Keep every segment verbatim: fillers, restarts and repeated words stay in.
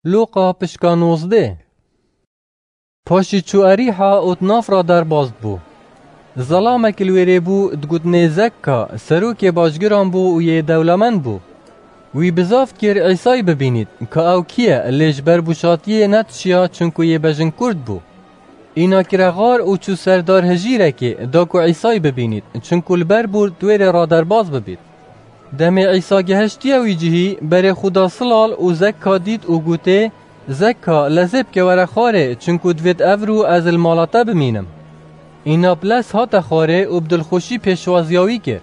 Lûqa pişka nozdeh. Paşî çû Erîha û di nav re derbas bû. Zelamek li wêrê bû, digotinê Zekka, serokê bajgiran bû û yê dewlemend bû. Wî bizav dikir Îsay bibînît, ka ew kî ye, lê ji ber bûşatiyê netişiya, çinku yê bejinkurd bû. Îna kire xar û çû ser dar hijîrekê, da ku Îsay bibînît, çinku li ber bûr di wêrê re derbas bibît. Demê Îsa gihiştiye wî cihî, berê xwe da silal û Zekka dît û gotê, Zekka, lezê bike were xwarê, çinku divêt evro ez li mala te bimînim. Îna bi lez hate xwarê û bi dilxweşî pêşwaziya wî kir.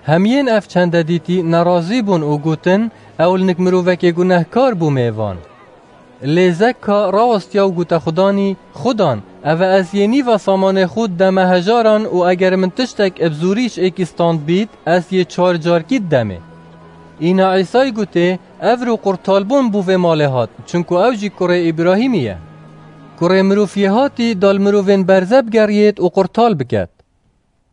Hemiyên ev çende dîtî nerazî bûn û gotin, ew li nik mirovekê gunehkar bû mêvan. Lê Zekka rawestiya û gote Xudanî, Xudan, eve ez yê nîva samanê xwe dideme hejaran û eger min tiştek bi zorî ji êkî stand bît, ez yê çar carkî didemê. Îna Îsay gotê, Evro qurtalbûn bo vê malê hat, çinku ew jî kurê Îbrahîmî ye. Kurê mirov yê hatî da li mirovên berze bigeriyêt û qurtal biket.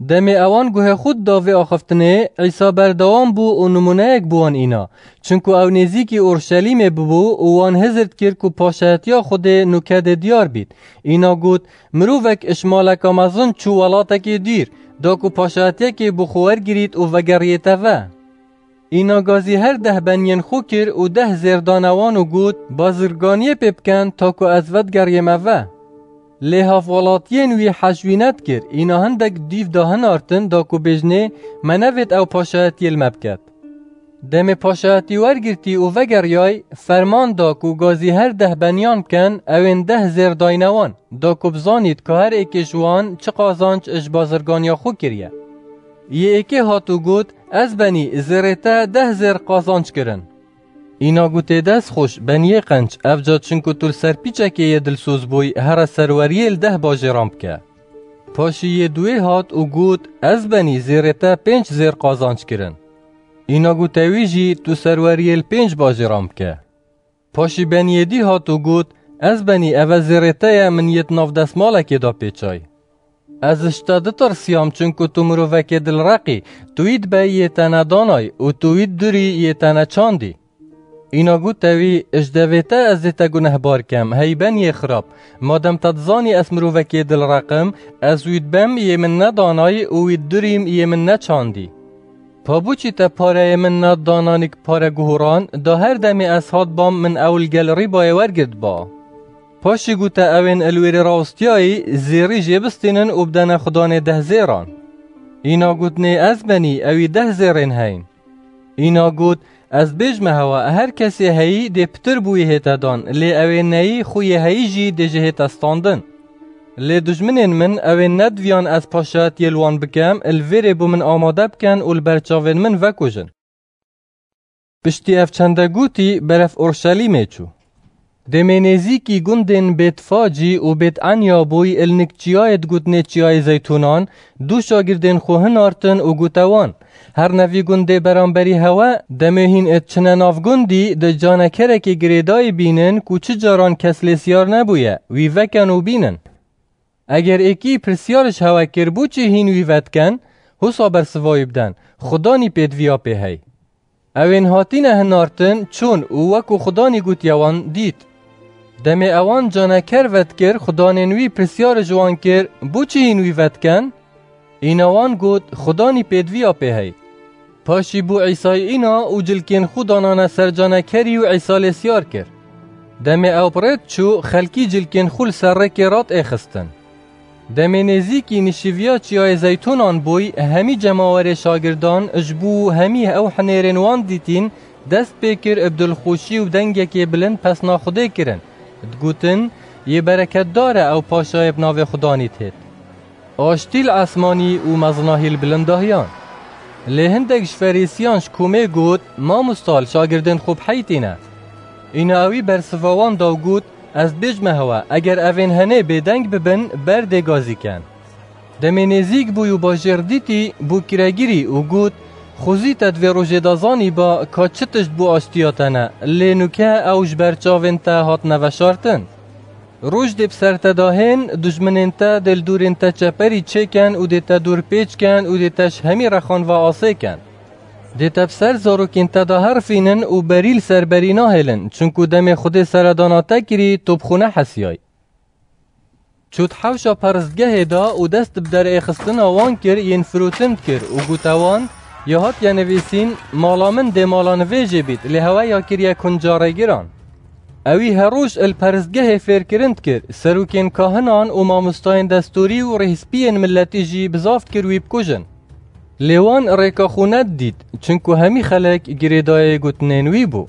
Demê ewan guhê xwe dida vê axiftinê, Îsa berdewam bû û nimûneyek bi wan îna. Çinku ew nêzîkî Orşelîmê bibû û wan hizir dikir ku paşayetiya Xwedê nûke dê diyar bît. Îna got, Mirovek ji maleka mezin çû welatekê dûr, da ku paşayetiyekê bo xwe wergirît û vegeriyête ve. Îna gazî her deh beniyên xwe kir û deh zêr dane wan û got, Bazirganiyê pê bikin, ta ku ez vedigeriyême ve. Lê hevwelatiyên wî hej wî nedikir, îna hindek dîv da hinartin, da ku bêjinê, Me nevêt ew paşayetiyê li me biket. Demê paşayetî wergirtî û vegeriyay, ferman da ku gazî her deh beniyan bikin, ewên deh zêr dayne wan, da ku bizanît ka her êkê ji wan çi qazanc ji bazirganiya xwe kiriye. Yê êkê hat û got, Ez benî, zêrê te deh zêr qazanc kirin. Îna gotê, Dest xweş, beniyê qenc, evca çinku tu li ser pîçekê yê dilsoz bûy, here serweriyê li deh bajêran bike. Paşî yê duwê hat û got, Ez benî, zêrê te pênc zêr qazanc kirin. Îna gote wî jî, Tu serweriyê li pênc bajêran bike. Paşî beniyê dî hat û got, Ez benî, eve zêrê te ye, min yê di nav destmalekê de pêçay. Ez ji te ditirsiyam, çinku tu mirovekê dilreq î, tu wî dibey yê te nedanay û tu wî didurî yê te neçandî. Îna gote wî, Ji devê te ez ê te gunehbar kem, hey beniyê xirab, madem te dizanî ez mirovekê dilreq im, ez wî dibem yê min nedanay û wî didurîm yê min neçandî. Pa boçî te pareyê min nedidanan nik pare guhuran, da her demê ez hatbam min ew li gel Rîbayê wergirtba. Paşî gote ewên li wêrê rawestiyayî, Zêrî jê bistînin û bidene xudanê deh zêran. Îna gotinê, Ez benî, ewî deh zêrên heyn. Îna got, Ez bêjme hewa, her kesê heyî dê pitir bûyî hête dan, lê ewên neyî xwe yê heyî jî dê ji hête standin. Lê dijminên min, ewên nediviyan ez paşayetiyê li wan bikem, li vêrê bo min amade biken û li ber çavên min vekujin. Piştî ev çende gotî, berev Orşelîmê çû. Demê nêzîkî gundên Bêtfacî û Bêt Enya bûy, il nik çiyayê digotinê Çiyayê Zeytûnan, du şagirdên xwe hinartin û gote wan, Herne vî gundê beramberî hewe, demê hîn êt çine nav gundî, di canekerekê girêdayî bînin ku çi caran kes lê siyar nebûye, wî veken û bînin. Eger êkî pirsyar ji hewe kir, Boçî hîn wî vediken? Husa bersiva wî biden, Xudanî pêdiviya pê hey. Ewên hatine hinartin, çûn û wekû Xudanî gotiye wan dît. Demê ewan caneker vedikir, xudanên wî pirsyar ji wan kir, Boçî hîn wî vediken? Îna wan got, Xudanî pêdiviya pê hey. Paşî bû Îsay îna û cilkên xwe danane ser canekerî û Îsa lê siyar kir. Demê ew bi rê diçû, xelkî cilkên xwe li ser rêkê radêxistin. Demê nêzîkî nişiviya Çiyayê Zeytûnan bûy, hemî cemawerê şagirdan ji bo hemî ew hinêrên wan dîtîn, dest pê kir bi dilxweşî û dengekê bilind pesna Xwedê kirin, digotin, Yê bereketdar e ew paşayê bi navê Xudanî dihêt. Aştî li esmanî û mezinahî li bilindahiyan. Lê hindek ji Ferîsiyan ji komê got, Mamosta, li şagirdên xwe biheytîne. Îna ewî bersiva wan da û got, Ez dibêjme hewe, eger evên henê bêdeng bibin, ber dê gazî ken. Demê nêzîk bûy û bajêr dîtî, bû kiregirî û got, Xwezî te di vê rojê de zanîba ka çi tişt bû aştiya te ne, lê nûke ew ji ber çavên te hatine veşartin. Roj dê bi ser te de hên, dijminên te dê li dûrên te çeperî çêken û dê te dûr pêç ken û dê te ji hemî rexan ve asê ken. Dê te bi ser zarokên te de herifînin û berî li ser berî nahêlin, çinku demê Xwedê seredana te kirî, tu bi xwe nehesiyay. Çût hewşa peristgehê da û dest bi derêxistina wan kir, yên firotin dikir û gote wan, ya hatiye nivîsîn, mala min dê mala nivêjê bît, lê hewe ya kiriye kunca rêgiran. Ewî her roj li peristgehê fêrkirin dikir, serokên kahinan û mamostayên destûrî û rêhspiyên miletî jî bi zaf dikir wî bikujin. Lê wan rêka xwe nedidît, çinku hemî xelek girêdayê gotinên wî bû.